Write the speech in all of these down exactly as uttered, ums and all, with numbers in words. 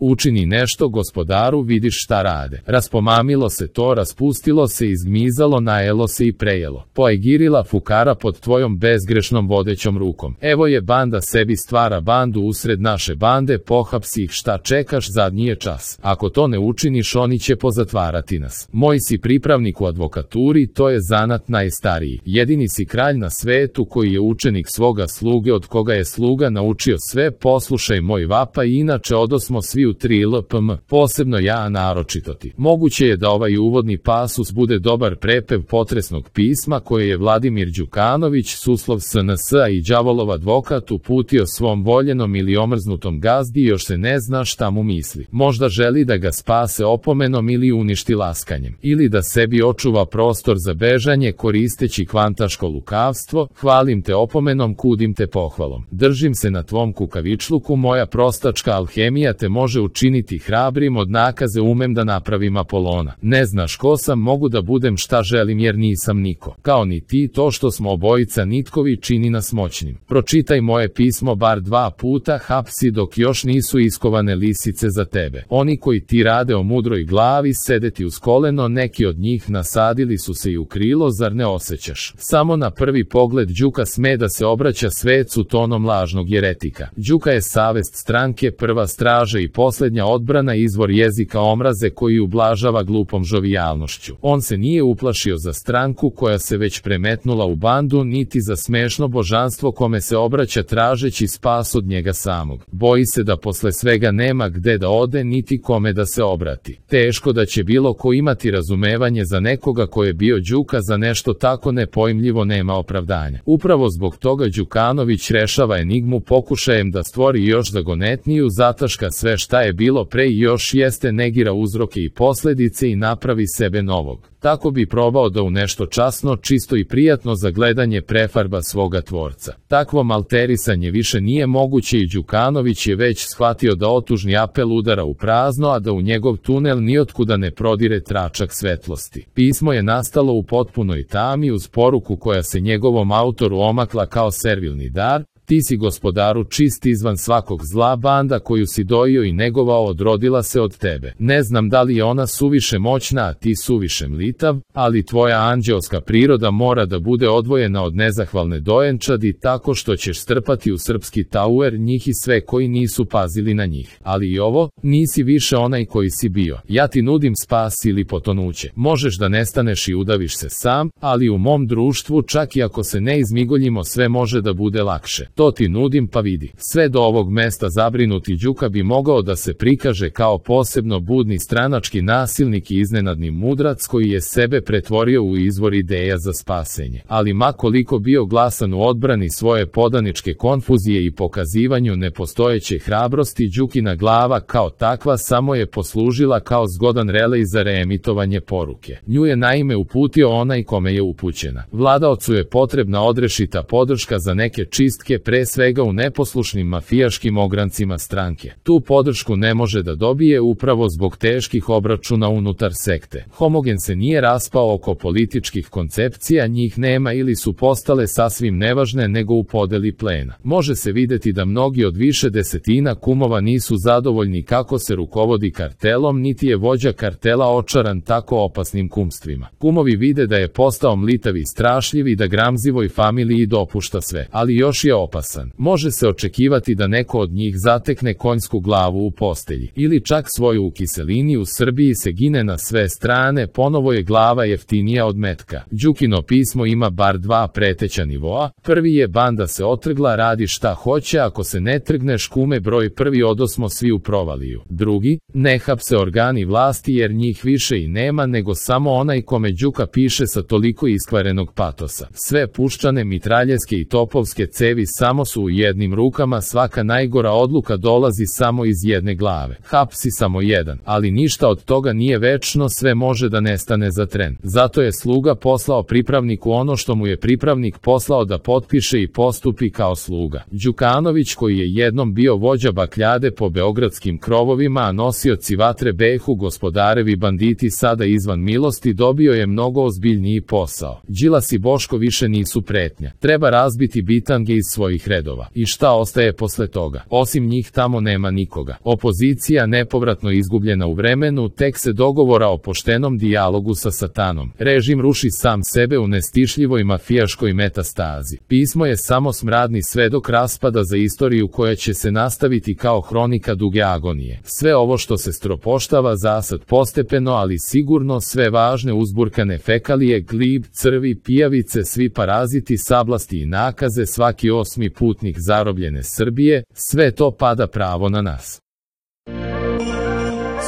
Učini nešto gospodaru, vidiš šta rade. Raspomamilo se to, raspustilo se, izgmizalo, najelo se i prejelo. Poegirila fukara pod tvojom bezgrešnom vodećom rukom. Evo je banda, sebi stvara bandu usred naše bande, pohapsi ih, šta čekaš, zadnji je čas. Ako to ne učiniš, oni će pozatvarati nas. Moj si pripravnik u advokaturi, to je zanat najstariji. Jedini si kralj na svetu koji je učenik svoga sluge, od koga je sluga naučio sve. Poslušaj moj vapaj, inače odosmo svi u tri L P M, posebno ja, a naročito ti. Moguće je da ovaj uvodni pasus bude dobar prepev potresnog pisma koje je Vladimir Đukanović, Suslov S N S i đavolov advokat, uputio svom voljenom ili omrznutom gazdi i još se ne zna šta mu misli. Možda želi da ga spase opomenom ili uništi laskanjem, ili da sebi očuva prostor za bežanje koristeći kvantaško lukavstvo. Hvalim te opomenom, kudim te pohvalom. Držim se na tvom kukavičluku, moja prostačka alhemija te može učiniti hrabrim, od nakaze umem da napravim Apolona. Ne znaš ko sam, mogu da budem šta želim jer nisam niko. Kao ni ti, to što smo obojica nitkovi čini nas moćnim. Pročitaj moje pismo bar dva puta, hapsi dok još nisu iskovane lisice za tebe. Oni koji ti rade o mudroj glavi sede ti uz koleno, neki od njih nasadili su se i u krilo, zar ne osjećaš? Samo na prvi pogled Đuka sme da se obraća svecu tonom lažnog jeretika. Đuka je savest stranke, prva straža i posljednja odbrana, izvor jezika omraze koji ublažava glupom žovijalnošću. On se nije uplašio za stranku koja se već premetnula u bandu, niti za smešno božanstvo kome se obraća tražeći spas od njega samog. Boji se da posle svega nema gde da ode, niti kome da se obrati. Teško da će bilo ko imati razumevanje za nekoga ko je bio Đuka, za nešto tako nepojmljivo nema opravdanja. Upravo zbog toga Đukanović rešava enigmu pokušajem da stvori još zagonetniju, zataška sve šta je bilo pre i još jeste, negira uzroke i posledice i napravi sebe novog. Tako bi probao da u nešto časno, čisto i prijatno za gledanje prefarba svoga tvorca. Takvo malterisanje više nije moguće i Đukanović je već shvatio da otužni apel udara u prazno, a da u njegov tunel nijotkuda ne prodire tračak svetlosti. Pismo je nastalo u potpunoj tami uz poruku koja se njegovom autoru omakla kao servilni dar: ti si gospodaru čist izvan svakog zla, banda koju si dojio i negovao odrodila se od tebe. Ne znam da li je ona suviše moćna, a ti suviše mlitav, ali tvoja anđeoska priroda mora da bude odvojena od nezahvalne dojenčadi tako što ćeš strpati u srpski tauer njih i sve koji nisu pazili na njih. Ali i ovo, nisi više onaj koji si bio. Ja ti nudim spas ili potonuće. Možeš da nestaneš i udaviš se sam, ali u mom društvu čak i ako se ne izmigoljimo sve može da bude lakše. To ti nudim, pa vidi. Sve do ovog mesta zabrinuti Đuka bi mogao da se prikaže kao posebno budni stranački nasilnik i iznenadni mudrac koji je sebe pretvorio u izvor ideja za spasenje. Ali ma koliko bio glasan u odbrani svoje podaničke konfuzije i pokazivanju nepostojeće hrabrosti, Đukina glava kao takva samo je poslužila kao zgodan relej za reemitovanje poruke. Nju je naime uputio onaj kome je upućena. Vladaocu je potrebna odrešita podrška za neke čistke, pre svega u neposlušnim mafijaškim ograncima stranke. Tu podršku ne može da dobije upravo zbog teških obračuna unutar sekte. Homogen se nije raspao oko političkih koncepcija, njih nema ili su postale sasvim nevažne nego u podeli plena. Može se videti da mnogi od više desetina kumova nisu zadovoljni kako se rukovodi kartelom, niti je vođa kartela očaran tako opasnim kumstvima. Kumovi vide da je postao mlitav i strašljiv i da Gramzivoj familiji dopušta sve, ali još je opasan. Može se očekivati da neko od njih zatekne konjsku glavu u postelji, ili čak svoju u kiselini. U Srbiji se gine na sve strane, ponovo je glava jeftinija od metka. Đukino pismo ima bar dva preteća nivoa. Prvi je: banda se otrgla, radi šta hoće, ako se ne trgneš kume broj prvi, odosmo svi u provaliju. Drugi: ne hapse organi vlasti jer njih više i nema nego samo onaj kome Đuka piše sa toliko iskvarenog patosa. Sve puščane mitraljeske i topovske cevi samo su u jednim rukama, svaka najgora odluka dolazi samo iz jedne glave. Hapsi samo jedan, ali ništa od toga nije večno, sve može da nestane za tren. Zato je sluga poslao pripravniku ono što mu je pripravnik poslao da potpiše i postupi kao sluga. Đukanović, koji je jednom bio vođa bakljade po beogradskim krovovima, a nosioci vatre behu gospodarevi banditi sada izvan milosti, dobio je mnogo ozbiljniji posao. Đilas i Boško više nisu pretnja. Treba razbiti bitange iz svojih svojih redova. I šta ostaje posle toga? Osim njih tamo nema nikoga. Opozicija nepovratno izgubljena u vremenu, tek se dogovora o poštenom dijalogu sa satanom. Režim ruši sam sebe u nestišljivoj mafijaškoj metastazi. Pismo je samo smradni svedok raspada za istoriju koja će se nastaviti kao hronika duge agonije. Sve ovo što se stropoštava zasad postepeno, ali sigurno, sve važne uzburkane fekalije, glib, crvi, pijavice, svi paraziti, sablasti i nakaze, svaki osmi putnik zarobljene Srbije, sve to pada pravo na nas.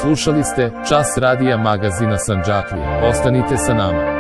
Slušali ste Čas radija magazina Sandžaklija. Ostanite sa nama.